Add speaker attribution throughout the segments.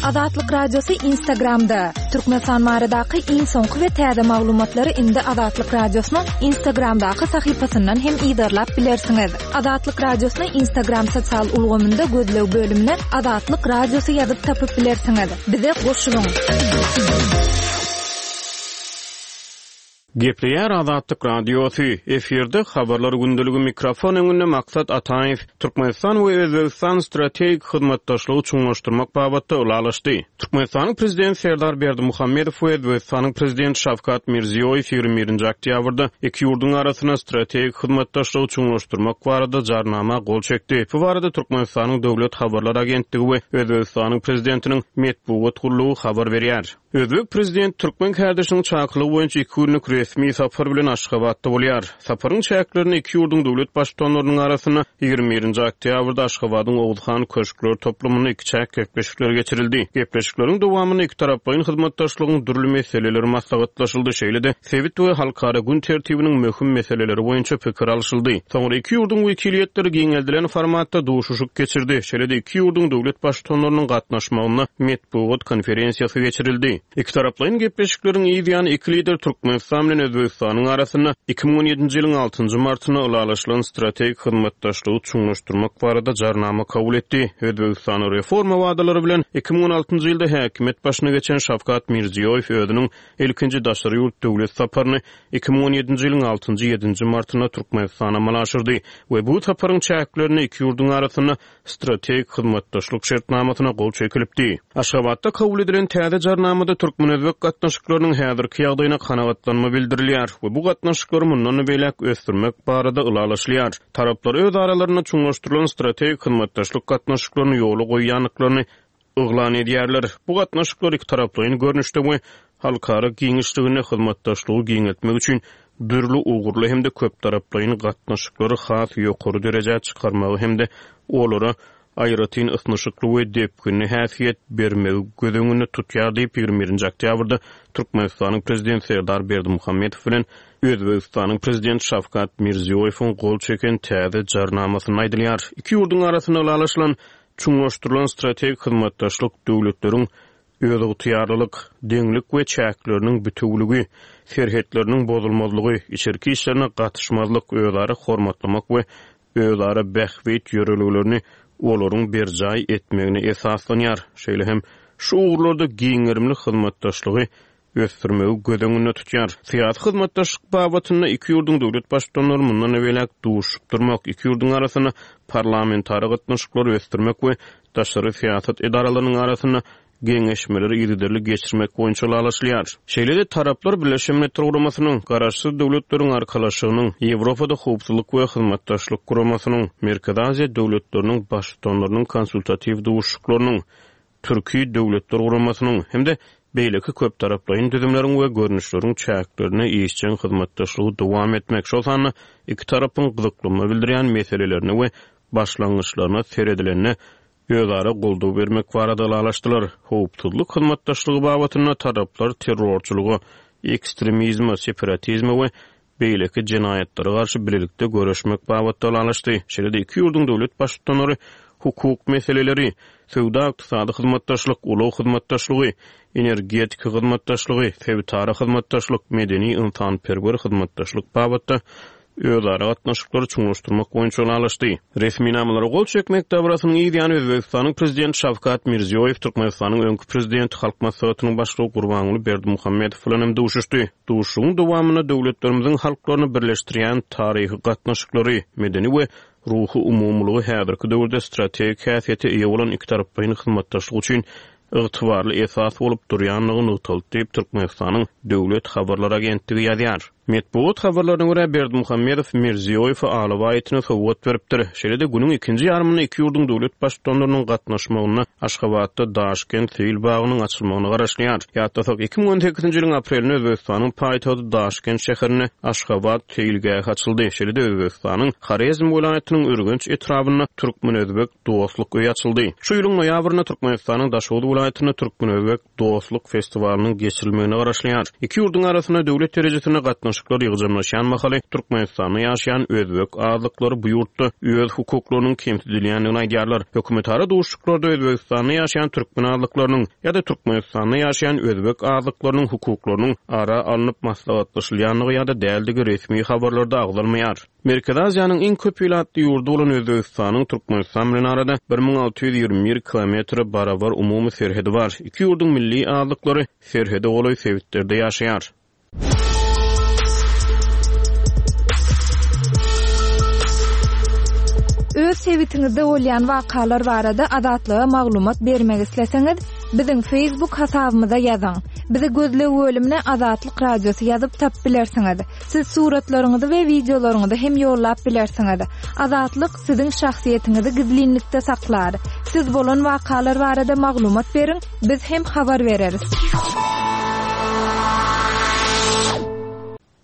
Speaker 1: Azatlyk Radiosy Instagramda! Türkmenistan baradaky iň soňky we täze maglumatlary indi Azatlyk Radiosynyň Instagramdaky sahypasyndan hem yzarlap bilersiňiz. Azatlyk Radiosyny Instagram sosial ulgamynda gözleg bölümine Azatlyk Radiosy ýazyp tapyp bilersiňiz. Bize goşulyň!
Speaker 2: Gepleýär Azatlyk Radiosy, efirde Habarlar gündeligi mikrofon öňünde Maksat Ataýew. Türkmenistan we Özbegistan strategik hyzmatdaşlygy çuňlaşdyrmak babatda ylalaşdy. Türkmenistanyň Prezidenti Serdar Berdimuhamedow we Özbegistanyň Prezidenti Şawkat Mirziýoýew 21-nji oktýabrda iki ýurduň arasynda strategik hyzmatdaşlygy çuňlaşdyrmak barada Jarnama gol çekdi. Bu barada Türkmenistanyň Döwlet habarlar agentligi we Özbegistanyň Prezidentiniň metbugat gullugy habar berýär. Özbek prezidenti türkmen kärdeşiniň çakylygy boýunça iki günlük resmi sapar bilen Aşgabatda bolýar. Saparyň çäklerinde iki ýurduň döwlet Baştutanlarynyň arasynda 21-nji oktýabrda Aşgabadyň Oguzhan köşkler toplumynda ikiçäk gepleşikler geçirildi. Gepleşikleriň dowamynda ikitaraplaýyn hyzmatdaşlygyň dürli meseleleri maslahatlaşyldy, şeýle-de sebit we halkara gün tertibiniň möhüm meseleleri boýunça pikir alşyldy. Soňra iki ýurduň wekiliýetleri giňeldilen formatda duşuşyk geçirdi, şeýle-de iki ýurduň döwlet Baştutanlarynyň gatnaşmagynda metbugat konferensiýasy geçirildi. Ikitaraplaýyn gepleşikleriň yz ýany iki lider Türkmenistan bilen Özbegistanyň arasynda 2017-nji ýylyň altynjy martynda ylalaşylan strategik hyzmatdaşlygy çuňlaşdyrmak barada Jarnama kabul etdi. Özbegistanda reforma wadalary bilen 2016-njy ýylda häkimiýet başyna geçen Şawkat Mirziýoýew özüniň ilkinji daşary ýurt döwlet saparyny 2017-nji ýylyň altynjy-ýedinji martynda Türkmenistana amala aşyrdy we bu saparyň çäklerinde iki ýurduň arasynda strategik hyzmatdaşlyk şertnamasyna gol çekilipdi. Aşgabatda kabul edilen täze Jarnamada türkmen-özbek gatnaşyklarynyň häzirki ýagdaýyna kanagatlanma bildirilýär we bu gatnaşyklary mundan beýläk ösdürmek barada ylalaşylýar. Taraplar öz aralarynda çuňlaşdyrylan strategik hyzmatdaşlyk gatnaşyklaryny ýola goýýandyklaryny yglan edýärler. Bu gatnaşyklar ikitaraplaýyn görnüşde we halkara giňişliginde hyzmatdaşlygy giňeltmek üçin dürli ugurly hem-de köptaraplaýyn gatnaşyklary has ýokary derejä çykarmagy hem-de olara aýratyn ysnyşykly we depginli häsiýet bermegi göz öňünde tutýar diýip, 21-nji oktýabrda Türkmenistanyň Prezidenti Serdar Berdimuhamedow bilen Özbegistanyň Prezidenti Şawkat Mirziýoýewiň gol çeken täze Jarnamasynda aýdylýar. Iki ýurduň arasynda ylalaşylan Çuňlaşdyrylan strategik hyzmatdaşlyk döwletleriň özygtyýarlylyk, deňlik we çäkleriniň bitewüligi, serhetleriniň bozulmazlygy, içerki işlerine gatyşmazlyk, özara hormatlamak we özara bähbit ýörelgelerini olaryň berjaý etmegine esaslanýar, şeýle hem şu ugurlarda giň gerimli hyzmatdaşlygy ösdürmegi göz öňünde tutýar. Syýasy hyzmatdaşlyk babatynda iki ýurduň döwlet Baştutanlary mundan beýläk duşuşyp durmak, iki ýurduň arasynda parlamentara gatnaşyklary ösdürmek we daşary syýasat edaralarynyň arasynda geňeşmeleri yzygiderli geçirmek boýunça ylalaşylýar. Şeýle-de taraplar Birleşen Milletler Guramasynyň, Garaşsyz Döwletleriň Arkalaşygynyň, Ýewropada Howpsuzlyk we Hyzmatdaşlyk Guramasynyň, Merkezi Aziýa döwletleriniň Baştutanlarynyň konsultatiw duşuşyklarynyň, Türki Döwletler Guramasynyň hem-de beýleki köptaraplaýyn düzümleriň we görnüşleriň çäklerinde işjeň hyzmatdaşlygy dowam etmek, şol sanda iki tarapyň gyzyklanma bildirýän meselelerine we başlangyçlaryna seredilende özara goldaw bermek barada ylalaşdylar. Howpsuzlyk hyzmatdaşlygy babatynda taraplar terrorçylyga, ekstremizme, separatizme we beýleki jenaýatlara garşy bilelikde göreşmek babatda ylalaşdy. Şeýle-de iki ýurduň döwlet Baştutanlary hukuk meseleleri, söwda-ykdysady hyzmatdaşlyk, ulag hyzmatdaşlygy, energetika hyzmatdaşlygy, sebitara hyzmatdaşlyk, medeni-ynsanperwer hyzmatdaşlyk babatda özara gatnaşyklary çuňlaşdyrmak boýunça ylalaşdy. Resminamalara gol çekmek dabarasynyň yz ýany Özbegistanyň Prezidenti Şawkat Mirziýoýew Türkmenistanyň öňki Prezidenti, Halk Maslahatynyň Başlygy Gurbanguly Berdimuhamedow bilen hem duşuşdy. Duşuşygyň dowamynda döwletlerimiziň halklaryny birleşdirýän taryhy gatnaşyklary, medeni we ruhy umumylygy häzirki döwürde strategik häsiýete eýe bolan ikitaraplaýyn hyzmatdaşlyk üçin ygtybarly esas bolup durýandygy nygtaldy diýip, Türkmenistanyň Döwlet habarlar agentligi ýazýar. Metbugat habarlaryna görä, Berdimuhamedow Mirziýoýewe alabaý itini sowgat beripdir. Şeýle-de günüň ikinji ýarymynda iki ýurduň döwlet Baştutanlarynyň gatnaşmagynda Aşgabatda Daşkent seýil bagynyň açylmagyna garaşylýar. Ýatlasak, 2018-nji ýylyň aprelinde Özbegistanyň paýtagty Daşkent şäherinde Aşgabat seýilgähi açyldy. Şeýle-de Özbegistanyň Horezm welaýatynyň Ürgenç etrabynda Türkmen-özbek dostluk öýi açyldy. Şu ýylyň noýabrynda Türkmenistanyň Daşoguz welaýatynda Türkmen-özbek dostluk festiwalynyň geçirilmegine garaşylýar. Iki ýurduň arasynda döwlet derejesinde gatnaşyk. gatnaşyklar ýygjamlaşýan mahaly Türkmenistanda ýaşaýan özbek azlyklary bu ýurtda öz hukuklarynyň kemsidilýändigini aýdýarlar. Hökümetara duşuşyklarda Özbegistanda ýaşaýan türkmen azlyklarynyň ýa-da Türkmenistanda ýaşaýan özbek azlyklarynyň hukuklarynyň ara alnyp maslahatlaşylýandygy ýa-da däldigi resmi habarlarda agzalmaýar. Merkezi Aziýanyň iň köp ilatly ýurdy bolan Özbegistanyň Türkmenistan bilen arada 1621 kilometre barabar umumy serhedi bar. Iki ýurduň milli azlyklary serhede golaý sebitlerde ýaşaýar.
Speaker 1: Öz sebitiňizde bolýan wakalar barada Azatlyga maglumat bermek isleseňiz, biziň Facebook hasabymyza ýazyň. Bizi gözleg bölümine Azatlyk Radiosy ýazyp tapyp bilersiňiz. Siz suratlaryňyzy we wideolaryňyzy hem ýollap bilersiňiz. Azatlyk siziň şahsyýetiňizi gizlinlikde saklar. Siz bolan wakalar barada maglumat beriň, biz hem habar bereris.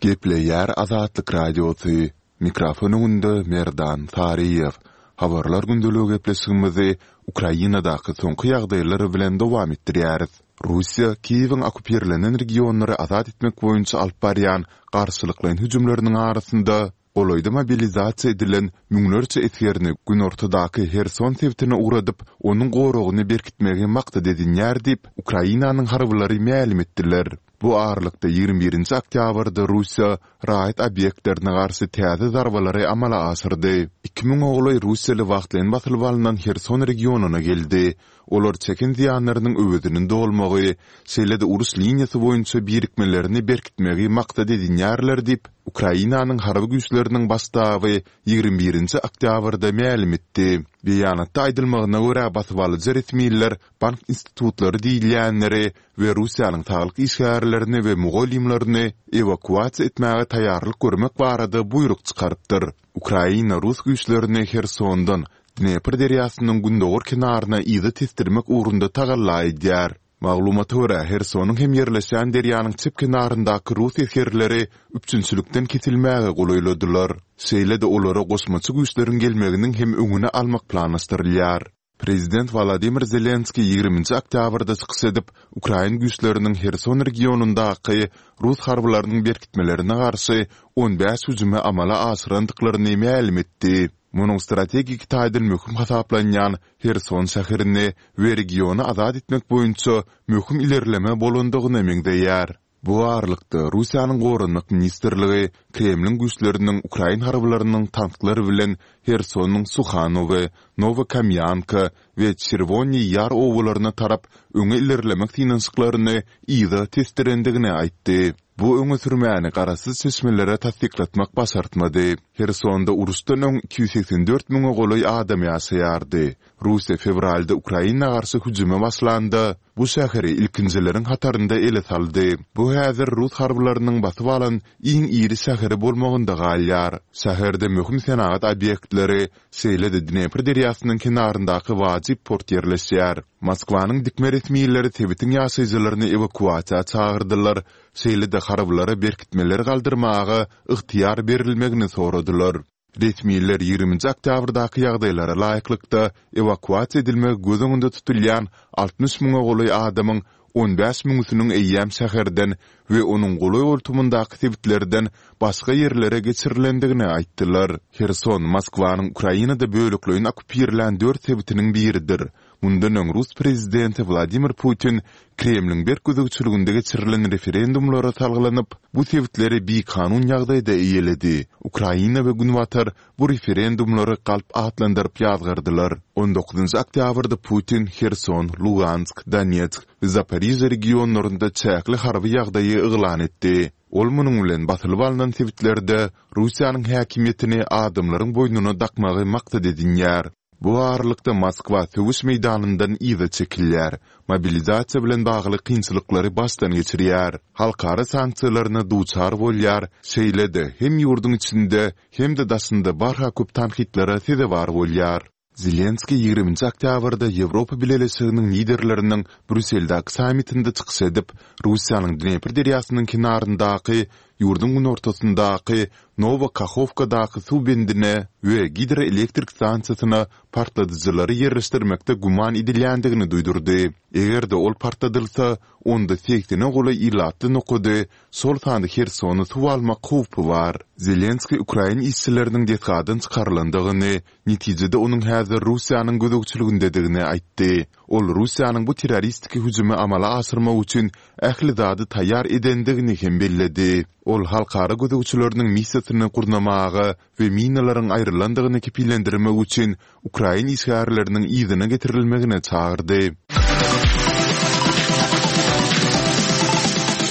Speaker 3: Gepleýär Azatlyk Radiosy, Mikrofon öňünde Merdan Saryýew. Habarlar gündeligi gepleşigimizi Ukrainadaky soňky ýagdaýlar bilen dowam etdirýäris. Russiýa Kiýewiň okkupirlenen regionlary azat etmek boýunça alyp barýan garşylyklaýyn hüjümleriniň arasynda, golaýda mobilizasiýa edilen müňlerçe esgerini günortadaky Herson sebitine ugradyp, onuň goragyny berkitmegi maksat edinýär diýip, Ukrainanyň harbylary mälim etdiler. Bu aralykda, 21 nji oktýabrda Russiýa raýat obýektlerine garşy täze zarbalary amala aşyrdy. Iki müňe golaý russiýaly wagtlaýyn basylyp alnan Herson regionyna geldi. Olar çeken zyýanlarynyň öwezini dolmagy, şeýle-de uruş liniýasy boýunça birikmelerini berkitmegi maksat edinýärler diýip, Ukrainanyň Harby güýçleriniň Baş ştaby 21 nji oktýabrda mälim etdi. Beýanatda aýdylmagyna görä, basybalyjy resmiler bank institutlary diýilýänleri we Russiýanyň saglyk işgärlerini we mugallymlaryny ewakuasiýa etmäge taýýarlyk görmek barada buýruk çykarypdyr. Ukraina rus güýçlerini Hersondan Dnepr derýasynyň gündogar kenaryna yza tesdirmek ugrunda tagalla edýär. Maglumata görä, Hersonyň hem ýerleşýän derýanyň çep kenaryndaky rus esgerleri üpjünçilikden kesilmäge golaýladylar. Şeýle-de olara goşmaça güýçleriň gelmeginiň hem öňüni almak planlaşdyrylýar. Prezident Wolodymyr Zelenskiý 20-nji oktýabrda çykyş edip, ukrain güýçleriniň Herson regionyndaky rus harbylarynyň berkitmelerine garşy 15 hüjümi amala aşyrandyklaryny mälim etdi. Munuň strategik taýdan möhüm hasaplanýan Herson şäherini we regiony azat etmek boýunça möhüm ilerleme bolandygyna meňzeýär. Bu aralykda, Russiýanyň Goranmak ministrligi Kremliň güýçleriniň ukrain harbylarynyň tanklar bilen Hersonyň Suhanowe, Nowokamýanka we Çerwoniý Ýar obalaryna tarap öňe ilerlemek synanyşyklaryny yza tesdirendigini aýtdy. Bu öňe sürmäni garaşsyz çeşmelere tassyklatmak başartmady. Hersonda uruşdan öň 284 müňe golaý adam ýaşaýardy. Russiýa fewralda Ukraina garşy hüjüme başlanda, bu şäheri ilkinjileriň hatarynda ele saldy. Bu häzir rus harbylarynyň basyp alan iň iri şäheri bolmagynda galýar. Şäherde möhüm senagat obýektleri, şeýle-de Dnepr derýasynyň kenaryndaky wajyp port ýerleşýär. Moskwanyň dikme resmileri sebitiň ýaşaýjylaryny ewakuasiýa çagyrdylar, şeýle-de harbylara berkitmeleri galdyrmaga ygtyýar berilmegini soradylar. Resmiler 20-nji oktýabrdaky ýagdaýlara laýyklykda, ewakuasiýa edilmegi göz öňünde tutulýan 60 müňe golaý adamyň 15 müňüsiniň eýýäm şäherden we onuň golaý-goltumyndaky sebitlerden başga ýerlere geçirilendigini aýtdylar. Herson Moskwanyň Ukrainada bölekleýin okkupirlän dört sebitiniň biridir. Mundan öň rus prezidenti Wladimir Putin Kremliň berk gözegçiliginde geçirilen referendumlara salgylanyp, bu sebitleri bikanun ýagdaýda eýeledi. Ukraina we Günbatar bu referendumlary galp atlandyryp ýazgardylar. On dokuzynjy oktýabrda Putin Herson, Lugansk, Donetsk we Zaporižýa regionlarynda çäkli harby ýagdaýy yglan etdi. Ol munuň bilen basylyp alnan sebitlerde Russiýanyň häkimiýetini adamlaryň boýnuna dakmagy maksat edinýär. Bu aralykda Moskwa söweş meýdanyndan yza çekilýär, mobilizasiýa bilen bagly kynçylyklary başdan geçirýär, halkara sanksiýalaryna duçar bolýar, şeýle-de hem ýurduň içinde, hem-de daşynda barha köp tankytlara sezewar bolýar. Zelenskiý 20-nji oktýabrda Ýewropa Bileleşiginiň liderleriniň Brýusseldäki sammitinde çykyş edip, Russiýanyň Dnepr derýasynyň kenaryndaky. ýurduň günortasyndaky Nowa Kahowkadaky suw bendine we gidroelektrik stansiýasyna partladyjylary ýerleşdirmekde güman edilýändigini duýdurdy. Eger-de ol partladylsa, onda segsene golaý ilatly nokady, şol sanda Hersony suw almak howpy bar. Zelenskiý ukrain işçileriniň desgadan çykarylandygyny, netijede onuň häzir Russiýanyň gözegçiligindedigini aýtdy. Ol Russiýanyň bu terroristiki hüjümi amala aşyrmak üçin ähli zady taýýar edendigini hem belledi. Ol halkara gözegçileriniň missiýasyny gurnamaga we minalaryň aýrylandygyny kepillendirmek üçin ukrain işgärleriniň yzyna getirilmegine çagyrdy.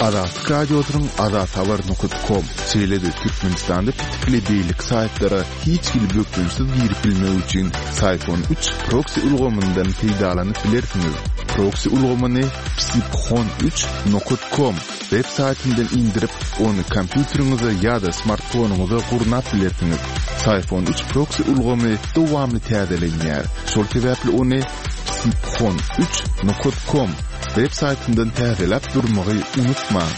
Speaker 3: Azatlyk Radiosynyň azathabar nokat kom, şeýle-de Türkmenistanda petikli beýleki saýtlara hiç hili bökdençsiz girip bilmek üçin Syfon üç proksi ulgamyndan peýdalanyp bilersiňiz. Proksi ulgamyny psiphon üç nokat kom web saýtyndan indirip, ony kompýuteriňize ýa-da smartfonyňyza gurnap bilersiňiz. Syfon üç proksi ulgamy dowamly täzelenýär. Şol sebäpli ony psiphon üç nokat kom web saýtyndan täzeläp durmagy unutmaň.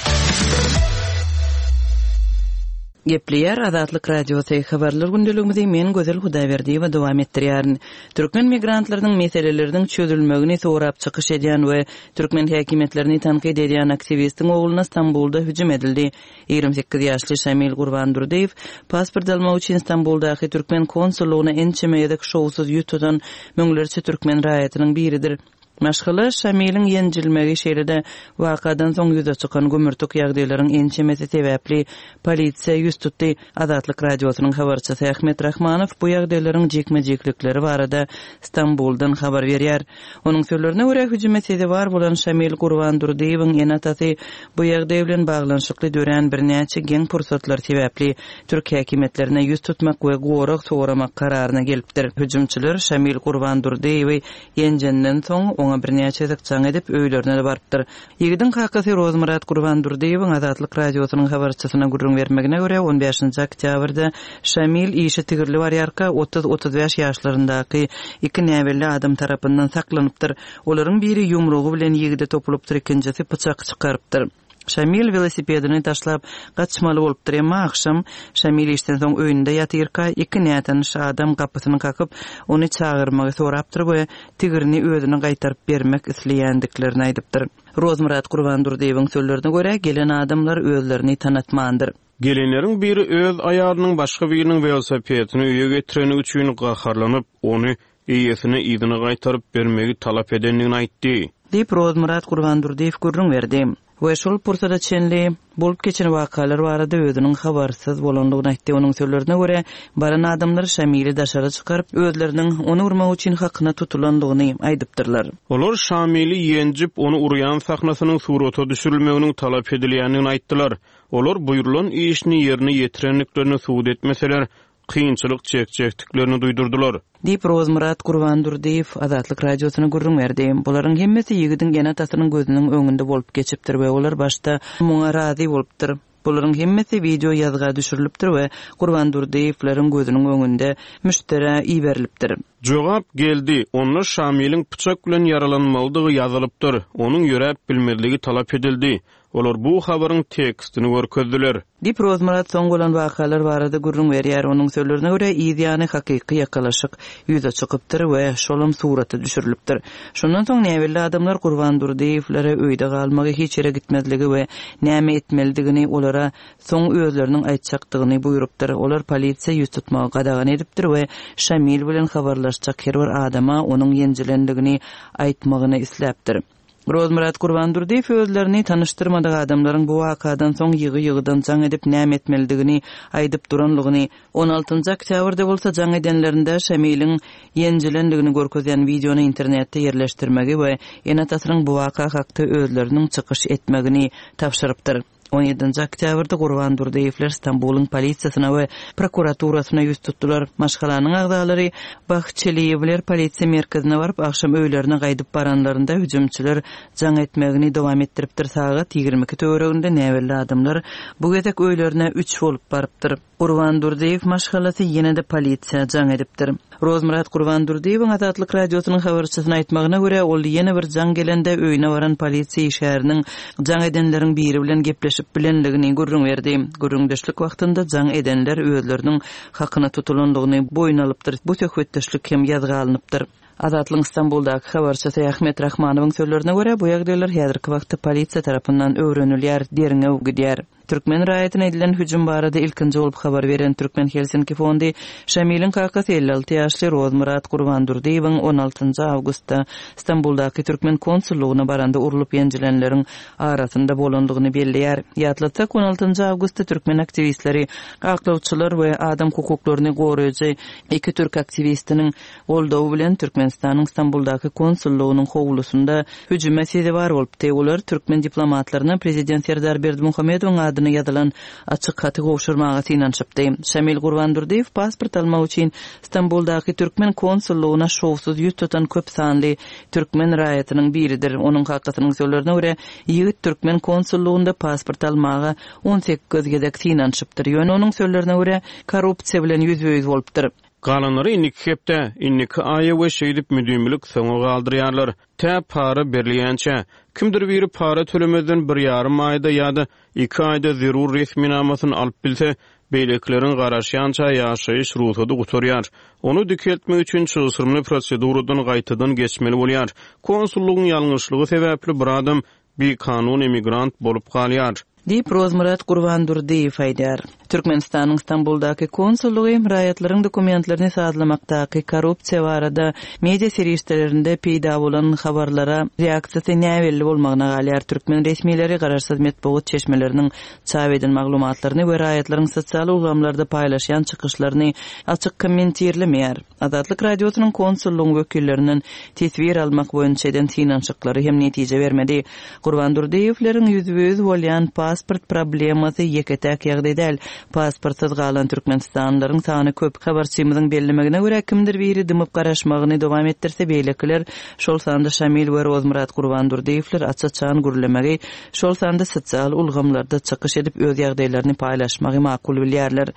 Speaker 4: Gepleýär Azatlyk Radiosy, Habarlar gündeligimizi men Gözel Hudaýberdiýewa dowam etdirýärin. Türkmen migrantlarynyň meseleleriniň çözülmegini sorap çykyş edýän we türkmen häkimiýetlerini tankyt edýän aktiwistiň ogluna Stambulda hüjüm edildi. 28 ýaşly Şamil Gurbandurdyýew pasport almak üçin Stambuldaky türkmen konsullygyna ençeme gezek şowsuz ýüz tutan müňlerçe türkmen raýatynyň biridir. Maşgala Şamiliň ýenjilmegi, şeýle-de wakadan soň ýüze çykan gümürtik ýagdaýlaryň ençemesi sebäpli polisiýa ýüz tutdy. Azatlyk Radiosynyň habarçysy Ahmet Rahmanow bu ýagdaýlaryň jikme-jiklikleri barada Stambuldan habar berýär. Onuň sözlerine görä, hüjüme sezewar bolan Şamil Gurbandurdyýewiň ene-atasy bu ýagdaý bilen baglanyşykly dörän birnäçe geň pursatlar sebäpli türk häkimiýetlerine ýüz tutmak we gorag soramak kararyna gelipdir. Hüjümçiler Şamil Gurbandurdyýewi Ýenjenden soň, oňa birnäçe gezek jaň edip, öýlerine-de barypdyr. Ýigidiň kakasy Rozmyrat Gurbandurdyýewiň Azatlyk Radiosynyň habarçysyna gürrüň bermegine görä, on bäşinji oktýabrda Şamil işe tigirli barýarka, otuz-otuz bäş ýaşlaryndaky iki näbelli adam tarapyndan saklanypdyr. Olaryň biri ýumrugy bilen ýigide topulypdyr, ikinjisi pyçak çykarypdyr. Şamil welosipedini taşlap, gaçmaly bolupdyr. Emma agşam Şamil işden soň öýünde ýatyrka, iki nätanyş adam gapysyny kakyp, ony çagyrmagy sorapdyr we tigrini özüne gaýtaryp bermek isleýändiklerini aýdypdyr. Rozmyrat Gurbandurdyýewiň sözlerine görä, gelen adamlar özlerini tanatmandyr.
Speaker 2: Gelenleriň biri öz aýalynyň başga biriniň welosipedini öýe getireni üçin gaharlanyp, ony eýesine yzyna gaýtaryp bermegi talap edendigini aýtdy.
Speaker 4: Diýip, Rozmyrat Gurbandurdyýew gürrüň berdi we şol pursada çenli bolup geçen wakalar barada özüniň habarsyz bolandygyny aýtdy. Onuň sözlerine görä, baran adamlar Şamili daşary çykaryp, özleriniň ony urmak üçin hakyna tutulandygyny aýdypdyrlar.
Speaker 2: Olar Şamili ýenjip, ony urýan sahnasynyň surata düşürilmeginiň talap edilýändigini aýtdylar. Olar buýrulan işini ýerine ýetirendiklerini subut etmeseler, kynçylyk çekjekdiklerini duýdurdylar.
Speaker 4: Diýip, Rozmyrat Gurbandurdyýew Azatlyk Radiosyna gürrüň berdi. Bularyň hemmesi ýigidiň ene-atasynyň gözüniň öňünde bolup geçipdir we olar başda muňa razy bolupdyr. Bularyň hemmesi wideo ýazga düşürilipdir we Gurbandurdyýewleriň gözüniň öňünde müşderä iberilipdir.
Speaker 2: Jogap geldi, onda Şamiliň pyçak bilen ýaralanmalydygy ýazylypdyr, onuň ýöräp bilmezligi talap edildi. Olar bu habaryň tekstini görkezdiler.
Speaker 4: Diýip, Rozmyrat soň bolan wakalar barada gürrüň berýär. Onuň sözlerine görä, yz ýany hakyky ýakalaşyk ýüze çykypdyr we şolam surata düşürilipdir. Şondan soň näbelli adamlar Gurban Durdyýewlere öýde galmagy, hiç ýere gitmezligi we näme etmelidigini olara soň özleriniň aýtjakdygyny buýrupdyr. Olar polisiýa ýüz tutmagy gadagan edipdir we Şamil bilen habarlaşjak her bir adama onuň ýenjilendigini aýtmagyny isläpdir. Rozmyrat Gurbandurdyýew özlerini tanyşdyrmadyk adamlaryň bu wakadan soň ýygy-ýygydan jaň edip näme etmelidigini aýdyp duranlygyny, on altynjy oktýabrda bolsa jaň edenlerinde Şamiliň ýenjilendigini görkezýän wideony internetde ýerleşdirmegi we ene-atasynyň bu waka hakda özleriniň çykyş etmegini tabşyrypdyr. On ýedinji oktýabrda Gurban Durdyýewler Stambulyň polisiýasyna we prokuraturasyna ýüz tutdular. Maşgalanyň agzalary Bahçeliýewler polisiýa merkezine baryp, agşam öýlerine gaýdyp baranlarynda hüjümçiler jaň etmegini dowam etdiripdir. Sagat 22 töwereginde näbelli adamlar bu gezek öýlerine üç bolup barypdyr. Gurban Durdyýew maşgalasy ýene-de polisiýa jaň edipdir. Rozmyrat Gurbandurdyýewiň Azatlyk Radiosynyň habarçysyna aýtmagyna görä, ol ýene bir jaň gelende öýüne baran polisiýa işgäriniň jaň edenleriň biri bilen gepleşip. gürleşip bilendigini gürrüň berdi. Gürrüňdeşlik wagtynda jaň edenler özleriniň hakyna tutulandygyny boýun alypdyr, bu söhbetdeşlik hem ýazga alnypdyr. Azatlygyň Stambuldaky habarçysy Ahmet Rahmanowyň sözlerine görä, bu ýagdaýlar häzirki wagtda polisiýa tarapyndan öwrenilýär, derňew gidýär. Türkmen raýatyna edilen hüjüm barada ilkinji bolup habar beren Türkmen Helsinki fondy Şamiliň kakasy 56 ýaşly Rozmyrat Gurbandurdyýewiň on altynjy awgustda Stambuldaky türkmen konsullygyna baranda urlup ýenjilenleriň arasynda bolandygyny belleýär. Ýatlatsak, on altynjy awgustda türkmen aktiwistleri, aklawçylar we adam hukuklaryny goraýjy iki türk aktiwistiniň goldawy bilen Türkmenistanyň Stambuldaky konsullygynyň howlusynda hüjüme sezewar bolupdy. Olar türkmen diplomatlaryna prezident Serdar Berdimuhamedowyň adyna ýazylan açyk haty gowşurmaga synanyşypdy. Şamil Gurbandurdyýew pasport almak üçin Stambuldaky türkmen konsullygyna şowsuz ýüz tutan köp sanly türkmen raýatynyň biridir. Onuň kakasynyň sözlerine görä, ýigit türkmen konsullygynda pasport almaga 18 gezek synanyşypdyr. Ýöne onuň sözlerine görä, korrupsiýa bilen ýüzbe-ýüz bolupdyr.
Speaker 2: Galanlary indiki hepdä, indiki aýa we şeýdip müdimilik soňa galdyrýarlar. Tä para berilýänçä. Kimdir biri para tölemezden bir ýarym aýda ýa-da iki aýda zerur resminamasyny alyp bilse, beýlekileriň garaşýança ýaşaýyş rugsady gutarýar. Ony dikeltmek üçin çylşyrymly proseduradan gaýtadan geçmeli bolýar. Konsullygyň ýalňyşlygy sebäpli bir adam bikanun emigrant bolup galýar.
Speaker 4: Diýip, Rozmyrat Gurbandurdyýew aýdýar. Türkmenistanyň Stambuldaky konsullygy raýatlaryň dokumentlerini sazlamakdaky korrupsiýa barada media serişdelerinde peýda bolan habarlara reaksiýasy näbelli bolmagyna galýar. Türkmen resmileri garaşsyz metbugat çeşmeleriniň çap eden maglumatlaryny we raýatlaryň sosial ulgamlarda paýlaşýan çykyşlaryny açyk kommentirlemeýär. Azatlyk Radiosynyň konsullygyň wekillerinden teswir almak boýunça eden synanyşyklary hem netije bermedi. Gurban Durdyýewleriň ýüzbe-ýüz bolýan pasport problemasy ýeke-täk ýagdaý däl. Pasportsyz galan türkmenistanlylaryň sany köp. Habarçymyzyň bellemegine görä, kimdir biri dymyp garaşmagyny dowam etdirse, beýlekiler, şol sanda Şamil we Rozmyrat Gurbandurdyýewler aç-açan gürlemegi, şol sanda sosial ulgamlarda çykyş edip öz ýagdaýlaryny paýlaşmagy makul bilýärler.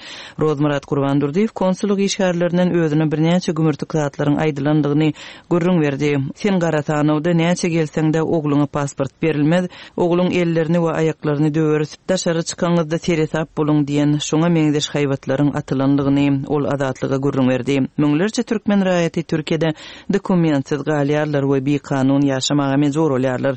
Speaker 4: Rozmyrat Gurbandurdyýew konsullyk işgärlerinden özüne birnäçe gümürtik zatlaryň aýdylandygyny gürrüň berdi. Sen gara sanawda näçe gelseň-de ogluňa pasport berilmez, ogluň ellerini we aýaklaryny döweris, daşary çykaňyzda seresap boluň diýen şoňa meňzeş haýbatlaryň atylandygyny ol Azatlyga gürrüň berdi. Müňlerçe türkmen raýaty Türkiýede dokumentsiz galýarlar we bikanun ýaşamaga mejbur bolýarlar.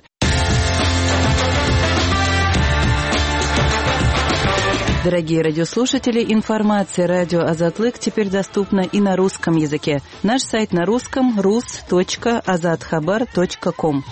Speaker 4: Дорогие радиослушатели, информация радио Азатлык теперь доступна и на русском языке. Наш сайт на русском rus.azathabar.com.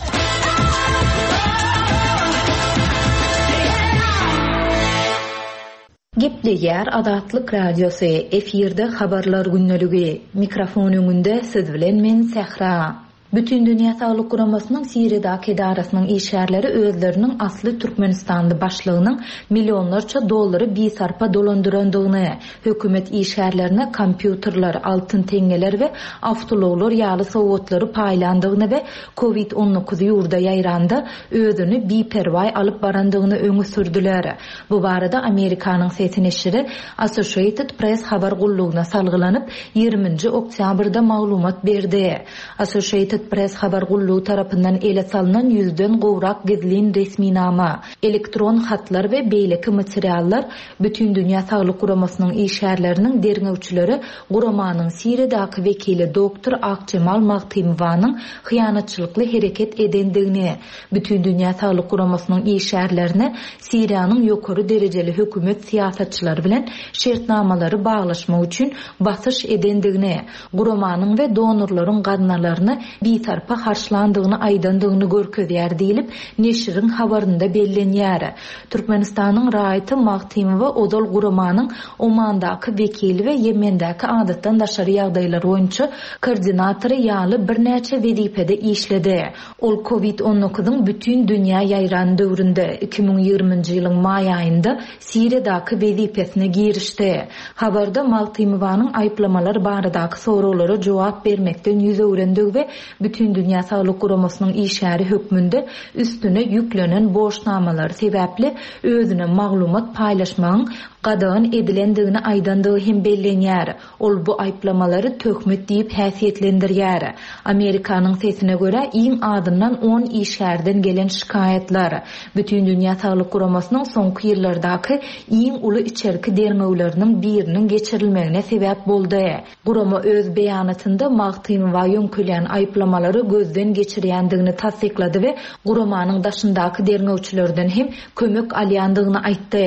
Speaker 1: Gepleýär Azatlyk Radiosy, efirde Habarlar gündeligi. Mikrofon öňünde siz bilen men Sähra. Bütindünýä Saglyk Guramasynyň Siriýadaky edarasynyň işgärleri özleriniň asly türkmenistanly başlygynyň millionlarça dollary bisarpa dolandyrandygyny, hökümet işgärlerine kompýuterler, altyn teňňeler we awtoulaglar ýaly sowgatlary paýlandygyny we Covid 19 ýurda ýaýranda özüni biperwaý alyp barandygyny öňe sürdüler. Bu barada Amerikanyň Sesi neşiri Associated Press habar gullugyna salgylanyp, ýigriminji oktýabrda maglumat berdi. Associated Press habar gullugy tarapyndan ele salnan ýüzden gowrak gizlin resminama, elektron hatlar we beýleki materiallar Bütindünýä Saglyk Guramasynyň işgärleriniň derňewçileri guramanyň Siriýadaky wekili doktor Akjemal Magtymowanyň hyýanatçylykly hereket edendigini, Bütindünýä Saglyk Guramasynyň işgärlerine Siriýanyň ýokary derejeli hökümet syýasatçylary bilen şertnamalary baglaşmak üçin basyş edendigini, guramanyň we donorlaryň gaznalaryny bisarpa harçlandygyny aýdandygyny görkezýär diýlip, neşiriň habarynda bellenýär. Türkmenistanyň raýaty Magtymowa ozal guramanyň Omandaky wekili we Ýemendäki adatdan daşary ýagdaýlar boýunça koordinatory ýaly birnäçe wezipede işledi. Ol Covid on dokuzyň bütin dünýä ýaýran döwründe, 2020-nji ýylyň maý aýynda Siriýadaky wezipesine girişdi. Habarda Magtymowanyň aýyplamalar baradaky soraglara jogap bermekden ýüz öwrendigi we Bütindünýä Saglyk Guramasynyň işgäri hökmünde üstüne ýüklenen borçnamalary sebäpli özüne maglumat paýlaşmagyň. gadagan edilendigini aýdandygy hem bellenýär. Ol bu aýyplamalary töhmet diýip häsiýetlendirýär. Amerikanyň sesine görä, iň azyndan on işgärden gelen şikaýatlar, Bütindünýä Saglyk Guramasynyň soňky ýyllardaky iň uly içerki derňewleriniň biriniň geçirilmegine sebäp boldy. Gurama öz beýanatynda Magtymowa ýöňkelýän aýyplamalary gözden geçirýändigini tassyklady we guramanyň daşyndaky derňewçilerden hem kömek alýandygyny aýtdy.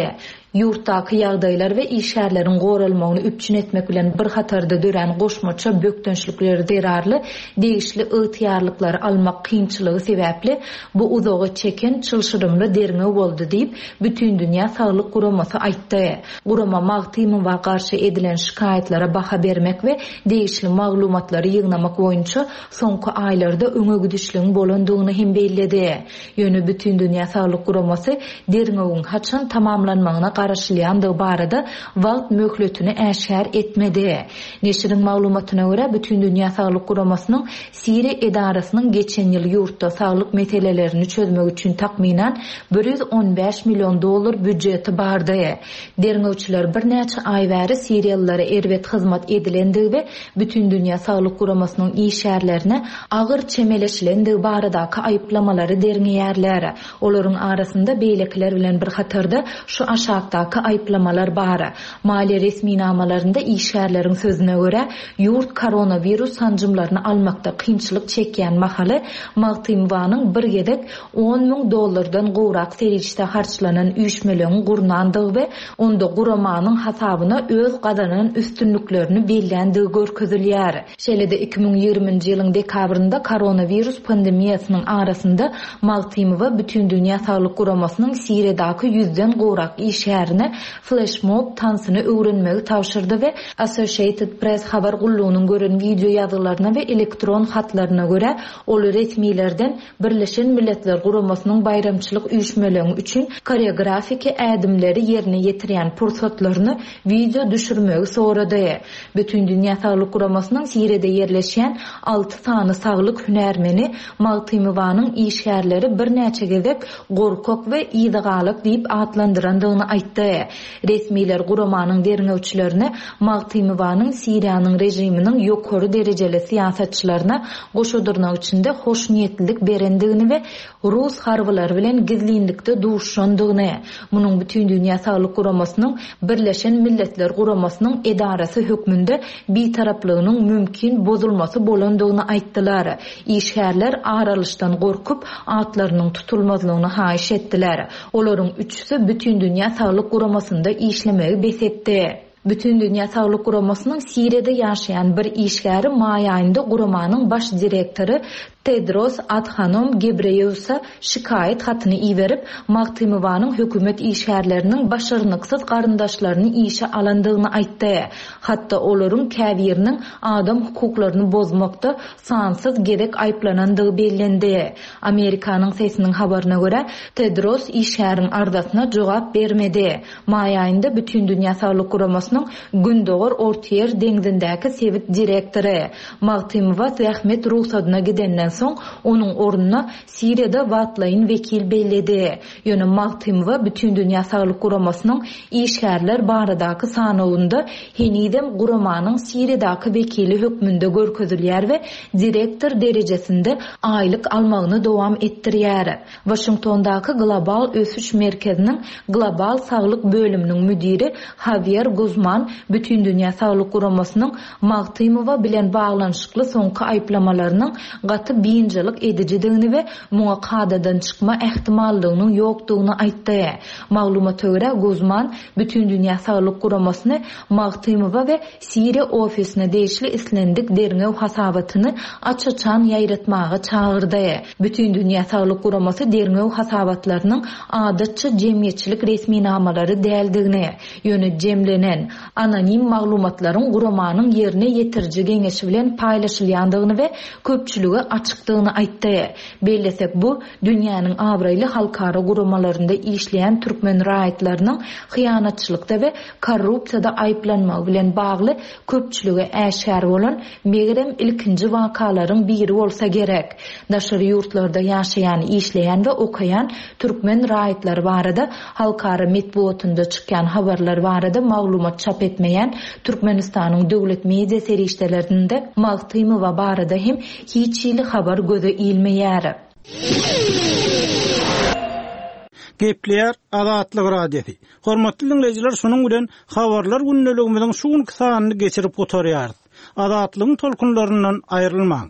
Speaker 1: Ýurtdaky ýagdaýlar we işgärleriň goralmagyny üpjün etmek bilen bir hatarda dörän goşmaça bökdençlikler zerarly degişli ygtyýarlyklary almak kynçylygy sebäpli bu uzaga çeken çylşyrymly derňew boldy diýip, Bütindünýä saglyk guramasy aýtdy. Gurama Magtymowa garşy edilen şikaýatlara baha bermek we degişli maglumatlary ýygnamak boýunça soňky aýlarda öňe gidişligiň bolandygyny hem belledi. Ýöne Bütindünýä saglyk guramasy derňewiň haçan tamamlanmagyna garaşylýandygy barada wagt möhletini äşgär etmedi. Neşiriň maglumatyna görä, Bütindünýä saglyk guramasynyň Siriýa edarasynyň geçen ýyl ýurtda saglyk meselelerini çözmek üçin takmynan 115 million dollar býujeti bardy. Derňewçiler birnäçe aý bäri siriýalylara erbet hyzmat edilendigi we Bütindünýä saglyk guramasynyň işgärlerine agyr çemeleşilendigi baradaky aýyplamalary derňeýärler. Olaryň arasynda beýlekiler bilen bir hatarda şu aşakdaky aýyplamalar bar. Maliýe resminamalarynda işgärleriň sözüne görä, ýurt koronawirus sanjymlaryny almakda kynçylyk çekýän mahaly Magtymowanyň bir gezek 10 müň dollardan gowrak serişde harçlanan üýşmeleňi gurnandygy we onda guramanyň hasabyna öz gazanan üstünliklerini belländigi görkezilýär. Şeýle-de 2020-nji ýylyň dekabrynda koronawirus pandemiýasynyň arasynda Magtymowa Bütindünýä saglyk guramasynyň Siriýadaky ýüzden gowrak işgärine fleşmob tansyny öwrenmegi tabşyrdy we Associated Press habar gullugynyň gören wideo ýazgylaryna we elektron hatlaryna görä, ol resmilerden Birleşen Milletler Guramasynyň baýramçylyk üýşmeleňi üçin koreografiki ädimleri ýerine ýetirýän pursatlaryny wideo düşürmegi sorady. Bütindünýä Saglyk Guramasynyň Siriýada ýerleşýän alty sany saglyk hünärmeni Magtymowanyň işgärleri birnäçe gezek gorkak we yzagalak diýip atlandyrandygyny aýtdy. Resmiler guramanyň derňewçilerine Magtymowanyň Siriýanyň režiminiň ýokary derejeli syýasatçylaryna goşa dyrnak içinde hoşniýetlilik berendigini we rus harbylary bilen gizlinlikde duşuşandygyny, munuň Bütindünýä Saglyk Guramasynyň Birleşen Milletler Guramasynyň edarasy hökmünde bitaraplygynyň mümkin bozulmasy bolandygyny aýtdylar. Işgärler ar alyşdan gorkup, atlarynyň tutulmazlygyny haýyş etdiler. Olaryň üçüsi Bütindünýä Saglyk Guramasynda işlemegi bes etdi. Bütindünýä Saglyk Guramasynyň Siriýada ýaşaýan bir işgäri maý aýynda guramanyň baş direktory Tedros Adhanom Gebreýeusa şikaýat hatyny iberip, Magtymowanyň hökümet işgärleriniň başarnyksyz garyndaşlaryny işe alandygyny aýtdy. Hatda olaryň käbiriniň adam hukuklaryny bozmakda sansyz gezek aýyplanandygy bellendi. Amerikanyň Sesiniň habaryna görä, Tedros işgäriň arzasyna jogap bermedi. Maý aýynda Bütindünýä Saglyk Guramasynyň Gündogar Ortaýer deňzindäki sebit direktory Magtymowa zähmet rugsadyna gidenden soň, onuň ornuna Siriýada wagtlaýyn wekil belledi. Ýöne Magtymowa Bütindünýä Saglyk Guramasynyň işgärler baradaky sanawynda henizem guramanyň Siriýadaky wekili hökmünde görkezilýär we direktor derejesinde aýlyk almagyny dowam etdirýär. Waşingtondaky Global ösüş merkeziniň Global saglyk bölüminiň müdiri Hawýer Guzman Bütindünýä saglyk guramasynyň Magtymowa bilen baglanyşykly soňky aýyplamalarynyň gaty biynjalyk edijidigini we muňa kadadan çykma ähtimallygynyň ýokdugyny aýtdy. Maglumata görä, Guzman Bütindünýä saglyk guramasyny Magtymowa we Siriýa ofisine degişli islendik derňew hasabatyny aç-açan ýaýratmaga çagyrdy. Bütindünýä saglyk guramasy derňew hasabatlarynyň adatça jemgyýetçilik resminamalary däldigini, ýöne jemlenen, anonim maglumatlaryň guramanyň ýerine ýetiriji geňeşi bilen paýlaşylýandygyny we köpçülige açyk. açykdygyny aýtdy. Bellesek, bu, dünýäniň abraýly halkara guramalarynda işleýän türkmen raýatlarynyň hyýanatçylykda we korrupsiýada aýyplanmagy bilen bagly köpçülige äşgär bolan, megerem, ilkinji wakalaryň biri bolsa gerek. Daşary ýurtlarda ýaşaýan, işleýän we okaýan türkmen raýatlary barada halkara metbugatynda çykýan habarlar barada maglumat çap etmeýän Türkmenistanyň döwlet media serişdelerinde Magtymowa barada hem hiç hili habar göze ilmeýär.
Speaker 5: Gepleýär Azatlyk Radiosy. Hormatly diňleýjiler şunuň bilen Habarlar gündeligimiziň şu günki sanyny geçirip gutarýarys. Azatlygyň tolkunlaryndan aýrylmaň.